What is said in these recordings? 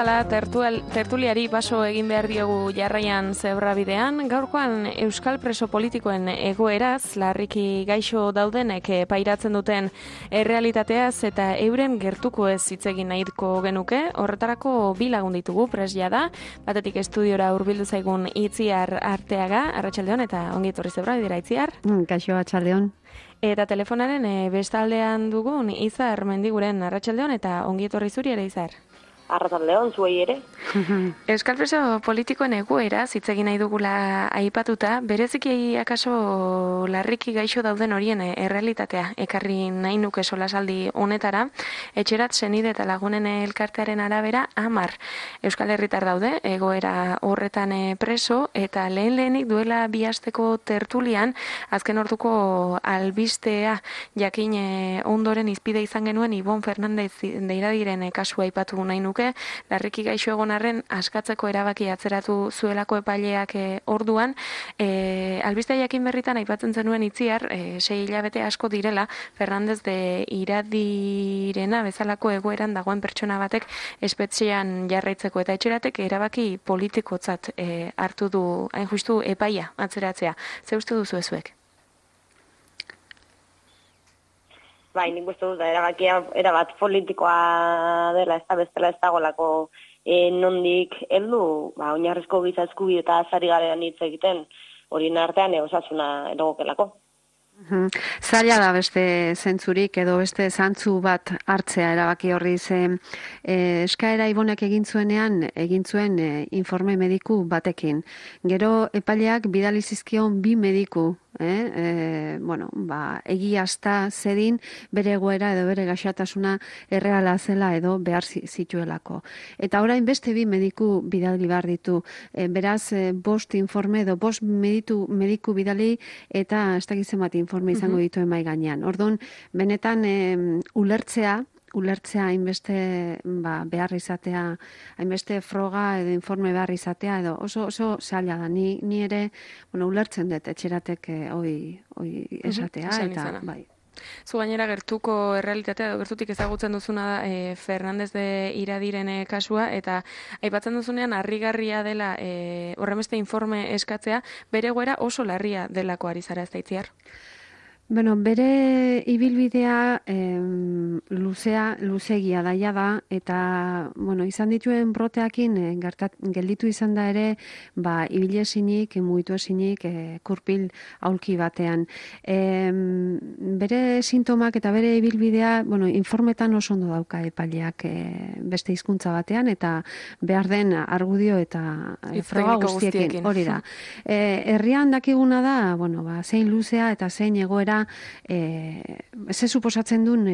bezala tertuliari paso egin behar diogu jarraian zebrabidean. Gaurkoan euskal preso politikoen egoeraz, larriki gaixo daudenek pairatzen duten errealitateaz eta euren gertuko ez hitz egin nahiko genuke. Horretarako bi lagun ditugu presja da. Batetik estudiora hurbildu zaigun Itziar Arteaga, arratsaldeon eta ongi etorri zebrabidera Itziar. Kaixo, arratsaldeon. Eta telefonaren bestaldean dugun Izar Mendiguren, arratsaldeon eta ongi etorri zuri ere Izar. Arratsaldeon zuei ere. Euskal preso politikoen egoera hitz egin nahi dugula aipatuta, bereziki akaso larriki gaixo dauden horien errealitatea ekarri nahi nuke solasaldi honetara. Etxerat senide eta lagunen elkartearen arabera 10 euskal herritar daude egoera horretan preso, eta lehenik duela 2 asteko tertulian azken orduko albistea jakin ondoren izpide izan genuen Ibon Fernandez deiradiren kasua aipatu nahi nuke. Larriki gaixo egon arren askatzeko erabaki atzeratu zuelako epaileak orduan. Albistea jakin berritan aipatzen zenuen Itziar, 6 hilabete asko direla Fernandez de Iradirena bezalako egoeran dagoen pertsona batek espetxean jarraitzeko, eta etxeratek erabaki politikotzat hartu du hain justu epaia atzeratzea. Ze uste duzu ezuek? Bai, nik uste dut erabakia erabat politikoa dela, ez da bestela ez dagolako nondik heldu, oinarrizko giza eskubide eta azari garean hitz egiten, horien artean osasuna erogokelako. Zaila da beste zentzurik edo beste zantzu bat hartzea erabaki horri, ze eskaera Ibonek egin zuen informe mediku batekin. Gero epaileak bidali zizkion 2 mediku, egiazta zedin bere egoera edo bere gaixotasuna erreala zela edo behar zituelako. Eta orain beste 2 mediku bidali behar ditu. Beraz, 5 informe edo 5 mediku bidali eta ez dakiz zenbat informe izango dituen mahai gainean. Orduan, benetan ulertzea hainbeste behar izatea, hainbeste froga edo informe behar izatea, edo oso zaila da. Ni ere, ulertzen dut etxeratek hoi esatea, eta bai. Zu gainera gertuko errealitatea edo gertutik ezagutzen duzuna da Fernandez de Iradiren kasua, eta aipatzen duzunean harrigarria dela horrenbeste informe eskatzea, bere egoera oso larria delako ari zara, ez da Itziar? Bere ibilbidea luzegia daia da, eta izan dituen broteakin gelditu izan da ere ibile esinik, mugitu esinik, kurpil aulki batean. Bere sintomak eta bere ibilbidea informetan oso ondo dauka epaileak beste hizkuntza batean, eta behar den argudio eta froga guztiekin. Hori da. Herrian dakiguna da, zein luzea eta zein egoera ze suposatzen duen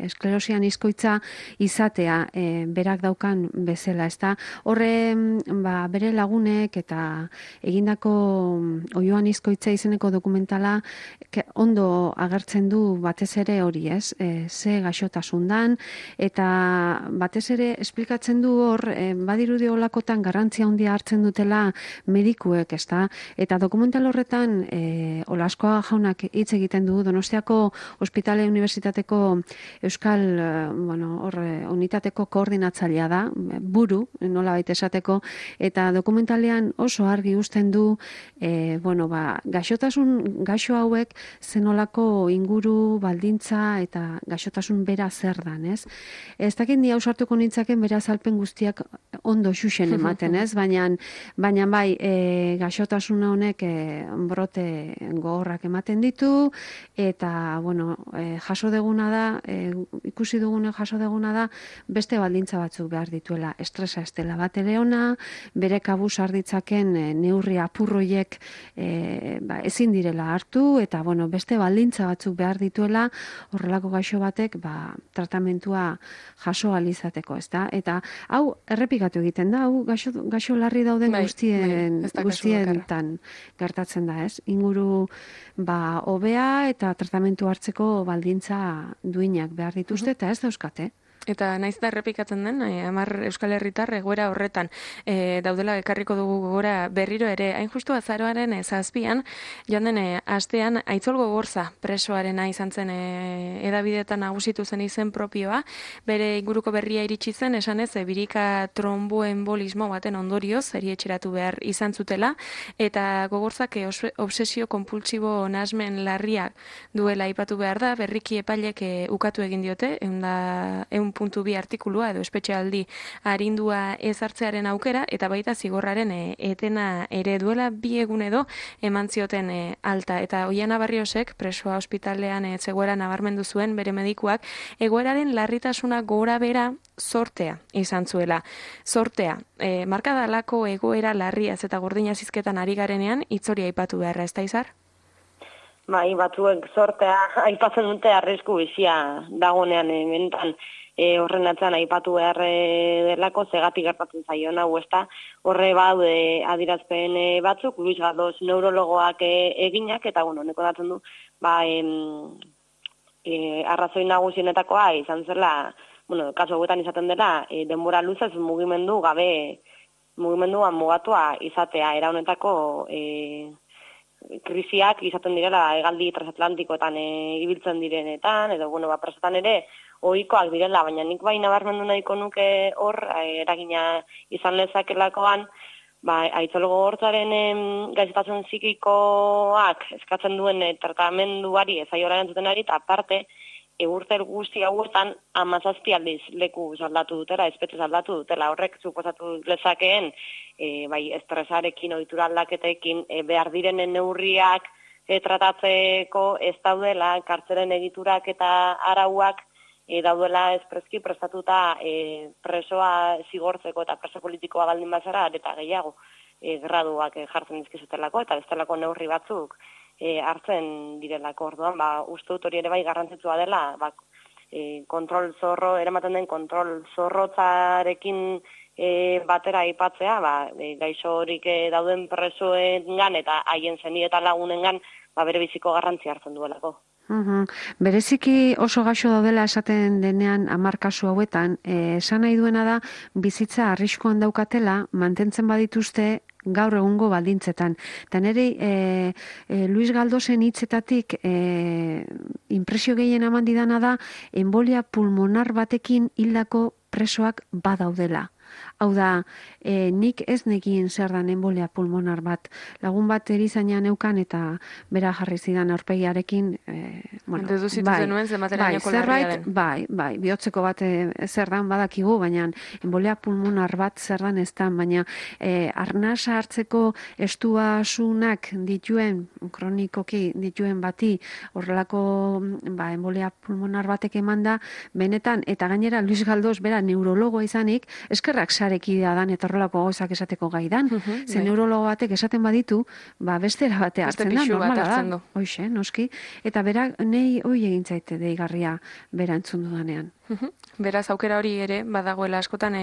esklerosian izkoitza izatea berak daukan bezala, ezta? Horre bere lagunek eta egindako oioan izkoitza izeneko dokumentala ondo agertzen du batez ere hori, ez? Ze gaixotasun dan, eta batez ere esplikatzen du hor badirudi olakotan garrantzia handia hartzen dutela medikuek, ezta? Eta dokumental horretan Olaskoaga jaunak hitz egiten du, Donostiako Ospitale Unibertsitateko Euskal unitateko koordinatzailea da, buru, nolabait esateko, eta dokumentalean oso argi uzten du gaixo hauek zenolako inguru, baldintza eta gaixotasun bera zer dan, ez? Ez dakit ni ausartuko nintzaken bere azalpen guztiak ondo xuxen ematen, ez? Baina bai, gaixotasun honek brote gogorrak ematen ditu, eta jaso deguna da, ikusi dugune jaso deguna da, beste baldintza batzuk behar dituela. Estresa ez dela bat ere ona, bere kabuz arditzaken neurri apurroiek ezin direla hartu, eta beste baldintza batzuk behar dituela horrelako gaixo batek tratamentua jaso alizateko, ezta? Eta hau errepikatu egiten da, hau gaixo larri dauden guztietan gertatzen da, ez? Inguru hobea eta tratamentu hartzeko baldintza duinak behar dituzte, eta ez dauzkate. Eta naiz da errepikatzen den, 10 Euskal Herritar egoera horretan daudela ekarriko dugu gogora berriro ere. Hain justu azaroaren 7an, joan den astean Aitzol Gogorza presoarena izan zen hedabideetan nagusitu zen izen propioa, bere inguruko berria iritsi zen, esanez birika tromboembolismo baten ondorioz erietxeratu behar izan zutela, eta Gogorzak obsesio konpultsibo nahasmen larriak duela aipatu behar da, berriki epailek ukatu egin diote, 1.2 artikulua edo espetxealdi arindua ezartzearen aukera, eta baita zigorraren etena ere duela 2 egun edo eman zioten alta. Eta Oiana Barriosek, presoa ospitalean zegoera nabarmendu zuen bere medikuak, egoeraren larritasuna gora bera sortea izan zuela. Sortea, markadalako egoera larriaz eta gordina zizketan ari garenean, itzori aipatu beharra, ez da Izar? Bai, batzuek sortea aipatzen dute arrisku bizia dagonean mentan horren atzean aipatu behar delako zegatik gertatzen zaion hau, ezta horre baude adirazpen batzuk, Luis Galdos neurologoak eginak, eta honeko datzen du, arrazoi nagusienetakoa izan zela, kasu hauetan izaten dela, denbora luzez mugimenduan mugatua izatea, era honetako krisiak izaten direla hegaldi transatlantikoetan ibiltzen direnetan, edo presotan ere ohikoak direla, baina nik bai nabarmendu nahiko nuke hor eragina izan lezakelakoan, Aitzol Gogortzaren gaixotasun psikikoak eskatzen duen tratamenduari ezaiola entzutenari, eta aparte urte guzti hauetan 17 aldiz leku aldatu dutela, espetxe aldatu dutela, horrek suposatu lezakeen estresarekin, ohitura aldaketekin behar direnen neurriak tratatzeko ez daudela, kartzelen egiturak eta arauak daudela espreski prestatuta presoa zigortzeko eta preso politikoa baldin bazara, eta gehiago graduak jartzen dizkizutelako, eta bestelako neurri batzuk hartzen direlako. Orduan, uste dut hori ere bai garrantzitsua dela, kontrol zorro, eramaten den kontrol zorrotzarekin batera aipatzea, gaixo horik dauden presoengan eta haien zeni eta lagunengan bere biziko garrantzia hartzen duelako. Bereziki oso gaixo daudela esaten denean 10 kasu hauetan, esan nahi duena da bizitza arriskuan daukatela mantentzen badituzte gaur egungo baldintzetan. Eta nire Luis Galdosen hitzetatik impresio gehien eman didana da enbolia pulmonar batekin hildako presoak badaudela. Hau da, nik ez nekien zer dan enbolia pulmonar bat. Lagun bat erizaina neukan eta bera jarri zidan aurpegiarekin, bai, bihotzeko bat zer dan badakigu, baina enbolia pulmonar bat zer dan ez dan, baina arnasa hartzeko estuasunak dituen, kronikoki dituen bati, horrelako enbolia pulmonar batek eman da, benetan, eta gainera Luis Galdos bera neurologoa izanik, eskerrak sarekidea dan eta horrelako gauzak esateko gaidan. Neurologo batek esaten baditu, bestera batea hartzen da, normala da. Hoxe, noski. Eta berak, nei hoi egin zaite deigarria bera entzun dudanean. Beraz, aukera hori ere, badagoela askotan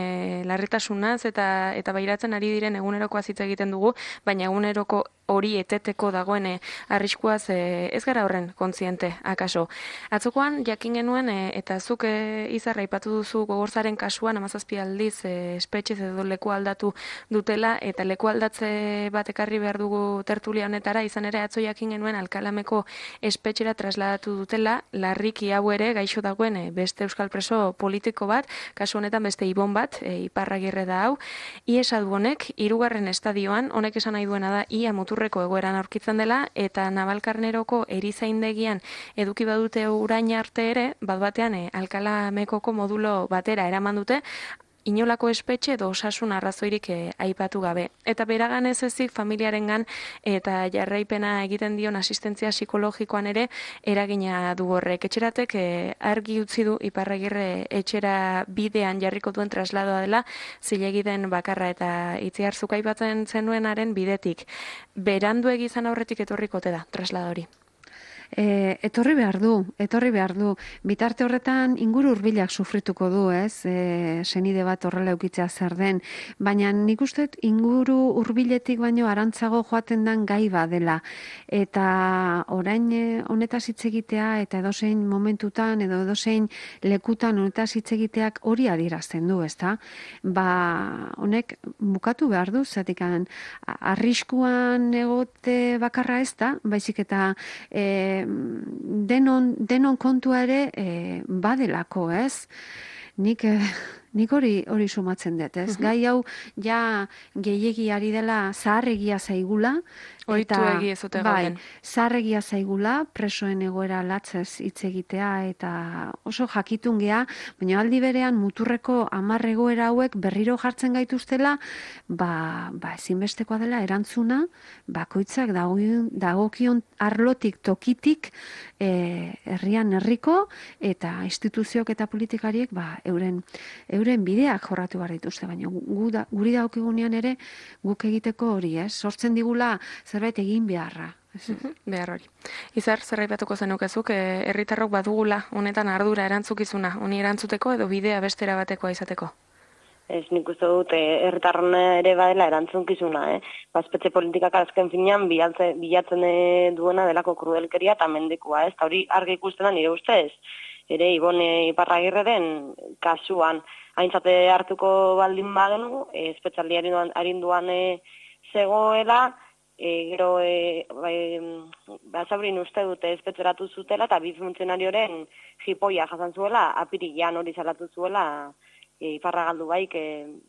larritasunaz eta bairatzen ari diren egunerokoa hitz egiten dugu, baina eguneroko hori eteteko dagoen arriskuaz ez gara horren kontziente, akaso. Atzokoan, jakin genuen, eta zuk Izarra aipatu duzu Gogorzaren kasuan, 17 aldiz espetxez edo leku aldatu dutela, eta leku aldatze bat ekarri behar dugu tertulia honetara, izan ere atzo jakin genuen Alkalameko espetxera trasladatu dutela, larriki hau ere gaixo dagoen beste euskal preso politiko bat, kasu honetan beste Ibon bat, Iparragirre da hau, iesa du honek, 3. estadioan, honek esan nahi duena da, ia muturreko egoeran aurkitzen dela, eta Navalkarneroko erizaindegian eduki badute urain arte ere, bat-batean Alkalamekoko modulo batera eraman dute, inolako espetxe edo osasun arrazoirik aipatu gabe. Eta beragan ez ezik familiarengan eta jarraipena egiten dion asistentzia psikologikoan ere eragina du horrek. Etxeratek argi utzi du Iparragirre etxera bidean jarriko duen trasladoa dela zilegi den bakarra, eta Itziarzuk aipatzen zenuenaren bidetik. Berandu egizan aurretik etorrikote da trasladori. Etorri behar du. Bitarte horretan inguru hurbilak sufrituko du, ez? Senide bat horrela eukitzea zer den, baina nik uste inguru hurbiletik baino arantzago joaten den gai badela. Eta orain honetaz hitz egitea eta edozein momentutan edo edozein lekutan honetaz hitz egiteak hori adierazten du, ezta? Honek bukatu behar du, zatikan arriskuan egote bakarra ez da, baizik eta denon kontua ere badelako, ez? Nik hori sumatzen dut, ez? Gai hau ja gehiegi ari dela zaharregia zaigula. Oitu egi ez dute gauden. Zaharregia zaigula, presoen egoera latzez hitz egitea eta oso jakitun gea, baina aldi berean muturreko 10 egoera hauek berriro jartzen gaituztela, ezinbestekoa dela erantzuna, bakoitzak dagokion arlotik tokitik herrian herriko eta instituziok eta politikariek euren bideak jorratu behar dituzte, baina guri dagokigunean ere guk egiteko hori, ez? Sortzen digula zerbait egin beharra. Behar hori. Izar, zerraipatuko zenukezuk, herritarrok badugula honetan ardura erantzukizuna, honi erantzuteko edo bidea bestera batekoa izateko? Ez, nik uste dut, herritarron ere badela erantzunkizuna, Espetxe politikak azken finean bilatzen duena delako krudelkeria eta mendekua, ez? Eta hori argi ikusten da nire ustez. Ere, Ibone Iparragirreren kasuan aintzate hartuko baldin bagenu, espetxaldi arinduan zegoela, gero Basaurin uste dute espetxeratu zutela eta bi funtzionarioren jipoia jasan zuela, apirilean hori salatu zuela Iparragaldu baik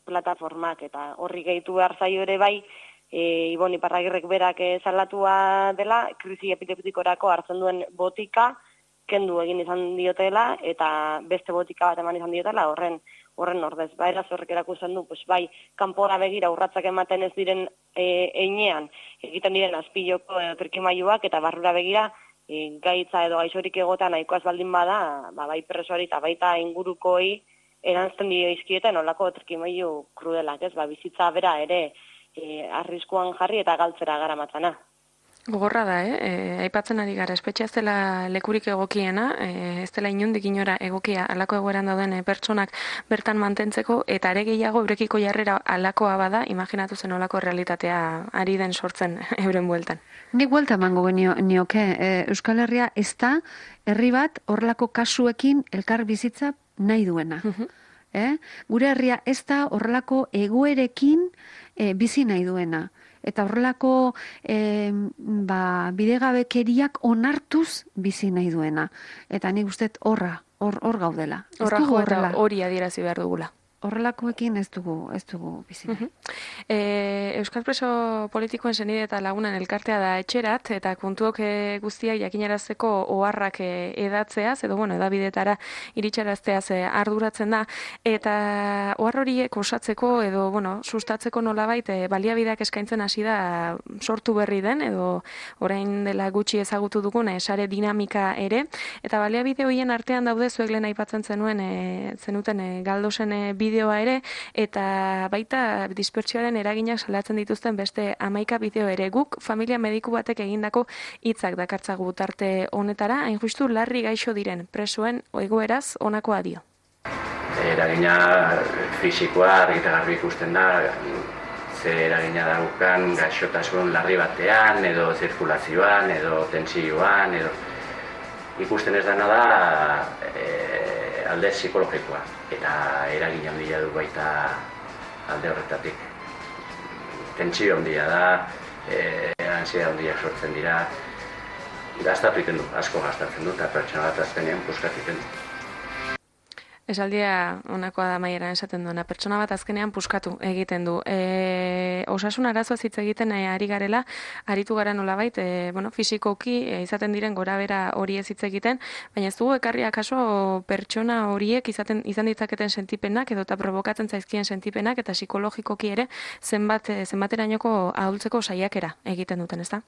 plataformak eta horri gehitu behar zaio ere bai Ibon Iparragirrek berak salatua dela, krisi epidemikorako hartzen duen botika kendu egin izan diotela eta beste botika bat eman izan diotela horren ordez. Eraz horrek erakusten du, bai, kanpora begira urratzak ematen ez diren einean, egiten diren azpiloko trikimailuak eta barrura begira gaitza edo gaixorik egotan nahikoaz baldin bada, bai presoari eta baita ingurukoi erantzten dio izkieten olako trikimailu krudelak, ez? Bizitza bera ere arriskuan jarri eta galtzera garamatzana. Gogorra da, aipatzen ari gara, espetxea ez dela lekurik egokiena, ez dela inondik inora egokia alako egoeran dauden pertsonak bertan mantentzeko, eta ere gehiago eurekiko jarrera alakoa bada, imaginatu zen olako realitatea ari den sortzen euren bueltan. Nik buelta emango nioke, Euskal Herria ez da herri bat horrelako kasuekin elkar bizitza nahi duena. Gure herria ez da horrelako egoerekin bizi nahi duena. Eta horrelako bidegabekeriak onartuz bizi nahi duena. Eta nik uste hor gaudela. Horra jo eta hori adierazi behar dugula. Horrelakoekin ez dugu bizi nahi. Euskal preso politikoen senide eta lagunen elkartea da etxerat, eta kontuok guztiak jakinarazteko oharrak edatzeaz, edo edabidetara iritsarazteaz arduratzen da, eta ohar horiek osatzeko edo sustatzeko nolabait baliabideak eskaintzen hasi da sortu berri den, edo orain dela gutxi ezagutu dugun sare dinamika ere, eta baliabide horien artean daude zuek lehen aipatzen zenuten Galdosen bideoa ere, eta baita dispertsioaren eraginak salatzen dituzten beste 11 bideo ere. Guk familia mediku batek egindako hitzak dakartzagu tarte honetara, hain justu larri gaixo diren presoen egoeraz honakoa dio. Eragina fisikoa argi eta garbi ikusten da, ze eragina daukan gaixotasun larri batean, edo zirkulazioan, edo tentsioan, edo ikusten ez dena da alde psikologikoa. Eta eragin handia du baita alde horretatik. Tentsio handia da, ansiedade handiak sortzen dira, gastatu egiten du, asko gastatzen du, eta pertsona bat azkenean puskatu egiten du. Esaldia honakoa da maieran esaten duena, pertsona bat azkenean puskatu egiten du. Osasun arazoaz hitz egiten ari garela, aritu gara nolabait, fisikoki izaten diren gorabera hori ez hitz egiten, baina ez dugu ekarria kaso pertsona horiek izan ditzaketen sentipenak edo eta provokatzen zaizkien sentipenak eta psikologikoki ere zenbaterainoko ahultzeko saiakera egiten duten, ezta?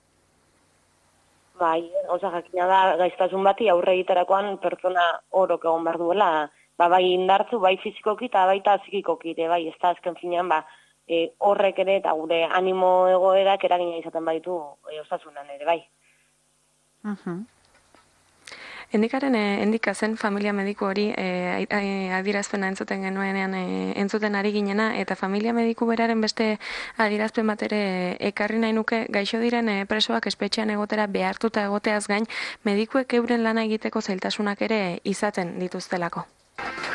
Bai, jakina da gaiztasun bati aurre egiterakoan pertsona orok egon behar duela, bai indartzu, bai fizikoki eta baita psikikoki ere, bai, ez da azken finean, horrek ere eta gure animo egoerak eragina izaten baitu osasunan ere, bai. Endika zen familia mediku hori adierazpena entzuten genuenean entzuten ari ginena, eta familia mediku beraren beste adierazpen bat ere ekarri nahi nuke, gaixo diren presoak espetxean egotera behartuta egoteaz gain, medikuek euren lana egiteko zailtasunak ere izaten dituztelako.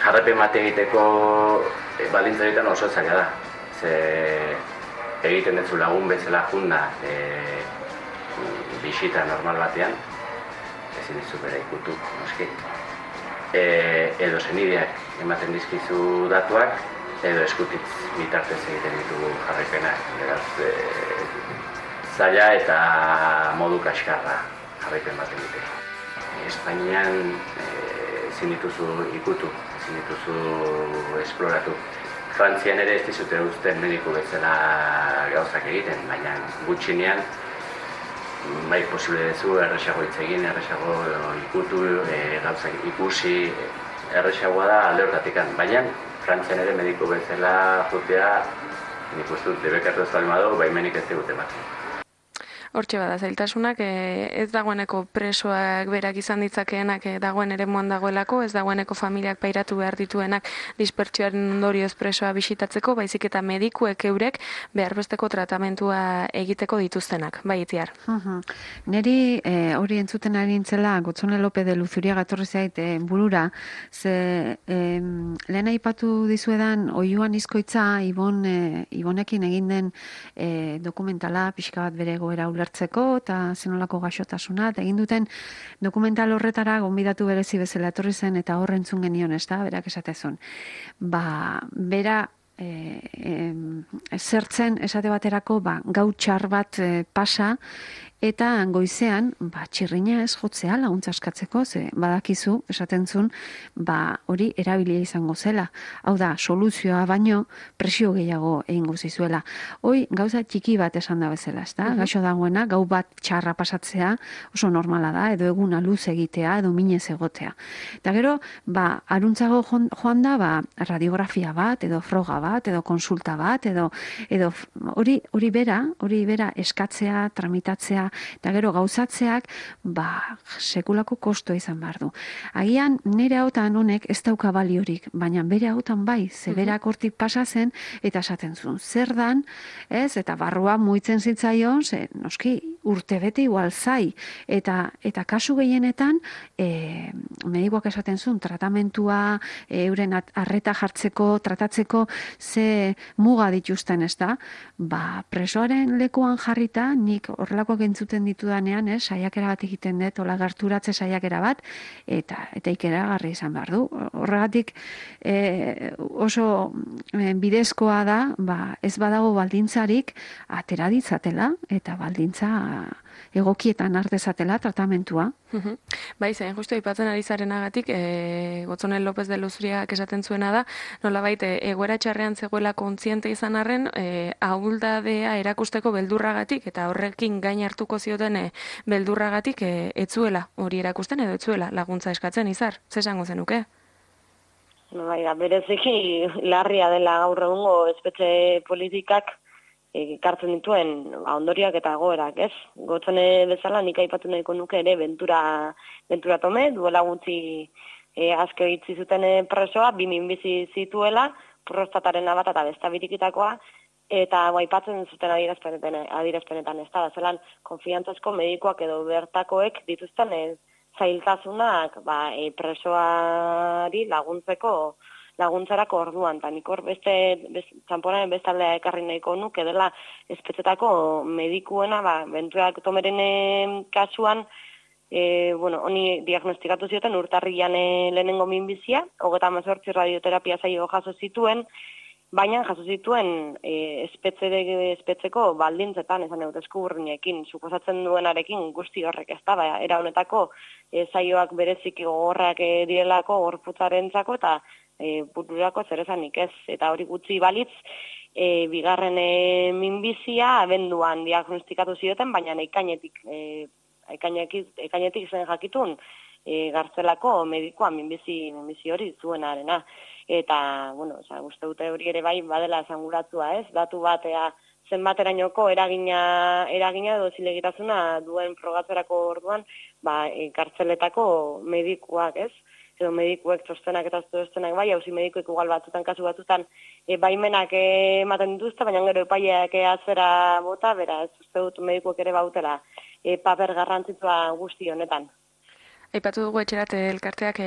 Jarraipen bat egiteko baldintzaretan oso zaila da. Ze egiten dutzu lagun bezala junda bisita normal batean, ezin dizu bera ikutu, noski. Edo senideak ematen dizkizu datuak, edo eskutitz bitartez egiten ditugu jarraipenak. Beraz, zaila eta modu kaskarra jarraipen bat egitea. Espainian ezin dituzu ikutu, ezin dituzu esploratu. Frantzian ere ez dizute uzten mediku bezala gauzak egiten, baina gutxinean bai posible dezu erresago hitz egin, erresago ikutu, gauzak ikusi, erresagoa da alde hortatikan. Baina Frantzian ere mediku bezala jutea, nik uste dut debekatu ez baldin badu, baimenik ez digute bat. Hortxe bada, zailtasunak ez dagoeneko presoak berak izan ditzakeenak dagoen eremuan dagoelako, ez dagoeneko familiak pairatu behar dituenak dispertsioaren ondorioz presoa bisitatzeko, baizik eta medikuek eurek beharbesteko tratamentua egiteko dituztenak, bai Itziar. Neri hori entzuten ari nintzela, Gotzone Lope de Luzuriaga etorri zait burura, ze lehen aipatu dizuedan oiuan izkoitza Ibonekin egin den dokumentala, pixka bat bere goera ulertzeko eta zenolako gaixotasuna, eta egin duten dokumental horretara gonbidatu berezi bezala etorri zen eta hor entzun genion, ez da, berak esatezun. Bera zertzen esate baterako gau txar bat pasa, eta goizean txirrina ez jotzea laguntza eskatzeko, ze badakizu, esaten zuen, hori erabilia izango zela. Hau da, soluzioa baino presio gehiago egingo zizuela. Hoi, gauza txiki bat esan da bezala, ez da? Gaixo dagoena, gau bat txarra pasatzea oso normala da, edo eguna luz egitea, edo minez egotea. Eta gero, aruntzago joan da, radiografia bat, edo froga bat, edo konsulta bat, edo hori bera eskatzea, tramitatzea, eta gero gauzatzeak sekulako kostoa izan behar du. Agian nire hautan honek ez dauka baliorik, baina bere hautan bai, zeberak hortik pasa zen eta esaten zuen. Zer dan, ez, eta barrua muitzen zitzaion, noski urte bete igual zai, eta kasu gehienetan medikoak esaten zuen, tratamentua, euren arreta jartzeko, tratatzeko ze muga dituzten, ez da? Presoaren lekuan jarrita, nik horrelakoak entzuten ditudanean, saiakera bat egiten dut, hola gerturatze saiakera bat, eta ikeragarri izan behar du. Horregatik oso bidezkoa da, ez badago baldintzarik atera ditzatela, eta baldintza egokietan ardezatela tratamentua. Bai, zain justu aipatzen ari zarenagatik, Gotzone López de Luzuriagak esaten zuena da, nolabait egoera txarrean zegoela kontziente izan arren, ahuldadea erakusteko beldurragatik, eta horrekin gain hartuko zioten beldurragatik etzuela hori erakusten edo etzuela laguntza eskatzen, Izar, ze esango zenuke? Bai, bereziki larria dela gaur egungo espetxe politikak ekartzen dituen ondorioak eta egoerak, ez? Gotzone bezala nik aipatu nahiko nuke ere Ventura Tome, duela gutxi aske itzi zuten presoa, 2 minbizi zituela, prostataren bat eta besta birikitakoa, eta aipatzen zuten adierazpenetan ez da, zelan konfiantzazko medikoak edo bertakoek dituzten zailtasunak presoari laguntzarako orduan, eta nik hor txanponaren bestaldea ekarri nahiko nuke dela espetxetako medikuena, Ventura Tomeren kasuan, honi diagnostikatu zioten urtarrian lehenengo minbizia, 38 radioterapia saio jaso zituen, baina jaso zituen espetxeko baldintzetan, esan dut eskuburrinekin, suposatzen duenarekin guzti horrek ez da, era honetako saioak bereziki gogorrak direlako gorputzarentzako eta bururako zer esanik ez, eta hori gutxi balitz, bigarren minbizia abenduan diagnostikatu zioten, baina ekainetik zen jakitun gartzelako medikoa minbizi hori zuenarena. Eta, uste dute hori ere bai badela esanguratzua ez, datu batea zenbaterainoko eragina edo zilegitasuna duen frogatzerako orduan, kartzeletako medikuak, ez? Edo medikuek txostenak eta txostenak bai, auzi medikuek igual batzutan, kasu batzutan, baimenak ematen dituzte, baina gero epaileak atzera bota, beraz, uste dut medikuek ere bautela paper garrantzitsua guzti honetan. Aipatu dugu etxerat elkarteak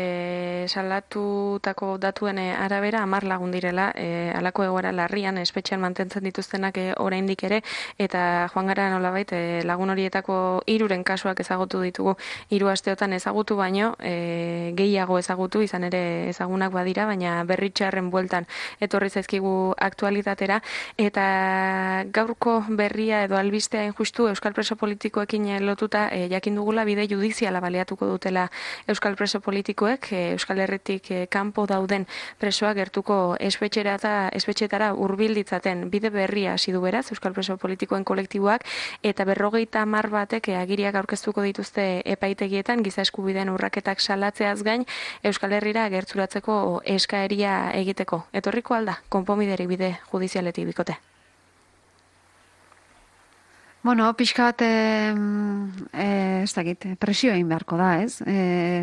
salatutako datuen arabera 10 lagun direla, halako egoera larrian espetxean mantentzen dituztenak oraindik ere, eta joan gara nolabait lagun horietako 3 kasuak ezagutu ditugu 3 asteotan ezagutu baino, gehiago ezagutu izan ere ezagunak badira, baina berritxarren bueltan etorri zaizkigu aktualitatera, eta gaurko berria edo albistea injustu euskal preso politikoekin lotuta jakin dugula bide judiziala baliatuko dutela euskal preso politikoek, Euskal Herritik kanpo dauden presoak gertuko espetxetara hurbil ditzaten bide berria hasi du beraz euskal preso politikoen kolektiboak, eta 50 batek agiriak aurkeztuko dituzte epaitegietan giza eskubideen urraketak salatzeaz gain Euskal Herrira gerturatzeko eskaeria egiteko. Etorriko alda konponbiderik bide judizialetik bikote? Bueno, pixka bat, ez dakit, presio egin beharko da, ez?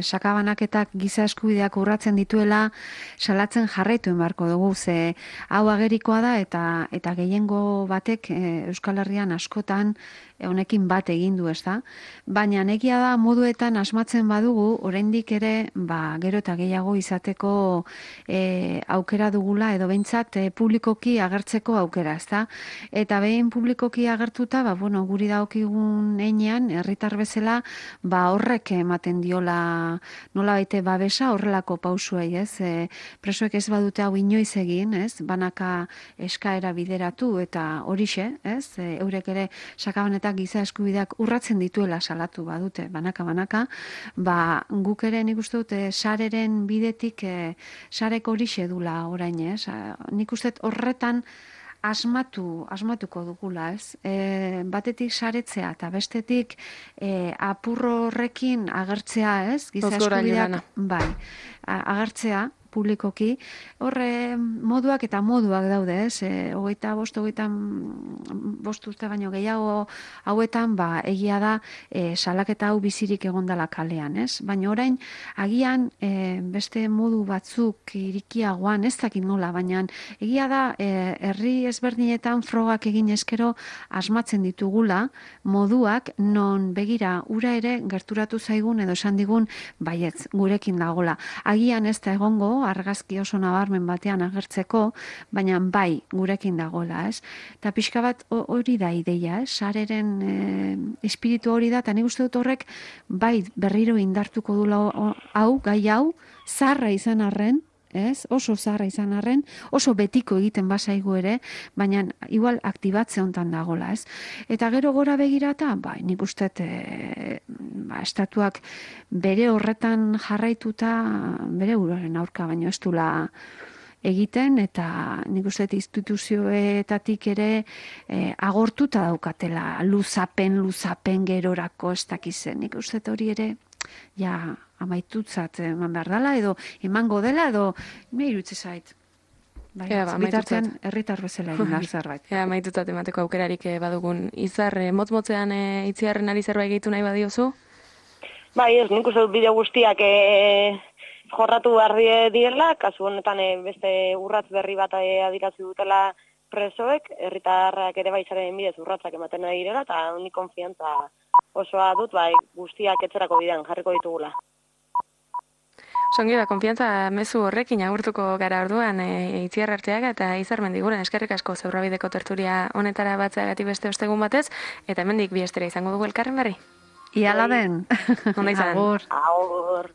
Sakabanaketak giza eskubideak urratzen dituela salatzen jarraitu egin beharko dugu, ze hau agerikoa da eta gehiengo batek Euskal Herrian askotan honekin bat egin du, ez da? Baina egia da moduetan asmatzen badugu, oraindik ere, gero eta gehiago izateko aukera dugula, edo behintzat publikoki agertzeko aukera, ez da? Eta behin publikoki agertuta, guri daokigun heinean, herritar bezala, horrek ematen diola nolabait babesa horrelako pausuei, ez? Presoek ez badute hau inoiz egin, ez? Banaka eskaera bideratu eta horixe, ez? Eurek ere sakabanetak giza eskubideak urratzen dituela salatu badute, banaka, guk ere nik uste dut sareren bidetik sarek horixe dula orain, ez? Nik uste horretan asmatuko dugula, ez? Batetik saretzea eta bestetik apurro horrekin agertzea, ez? Giza eskubideak, agertzea publikoki, horre moduak eta moduak daude, ez? 25 urte baino gehiago hauetan, egia da salaketa hau bizirik egondala kalean, ez? Baina orain, agian beste modu batzuk irikiagoan, ez dakit nola, baina egia da herri ezberdinetan frogak egin eskero asmatzen ditugula moduak non begira ura ere gerturatu zaigun edo esan digun baietz, gurekin dagola. Agian ez da egongo, argazki oso nabarmen batean agertzeko, baina gurekin dagoela, ez? Eta pixka bat hori da ideia, ez? Sareren espiritu hori da, eta nik uste dut horrek berriro indartuko dula gai hau, zarra izan arren, ez? Oso zarra izan arren, oso betiko egiten bazaigu ere, baina igual aktibatze hontan dagola, ez? Eta gero gora begirata, nik uste estatuak bere horretan jarraituta, bere buruaren aurka, baino ez dula egiten, eta nik uste instituzioetatik ere agortuta daukatela, luzapen gerorako ez dakizen. Nik uste hori ere, amaitutzat eman behar dela, edo emango dela, edo me irutze zait. Bitartean herritar bezala egin behar zerbait. Amaitutzat emateko aukerarik badugun. Izar, motz-motzean itziarren ari zerbait gehitu nahi badiozu? Ez, nik uste dut bideo guztiak jorratu behar direla, kasu honetan beste urratz berri bat adirazi dutela presoek, herritarrak ere baizaren bidez urratzak ematen nahi direla, eta nik konfiantza osoa dut, guztiak etzerako bidean jarriko ditugula. Songi konfiantza mezu horrekin agurtuko gara orduan Itziar Arteaga eta Izar Mendiguren, eskerrik asko Zebrabideko tertulia honetara batzeagatik beste ostegun batez, eta hemendik bi astera izango dugu elkarren berri. Iala den. Onda izan. Agur. Agur.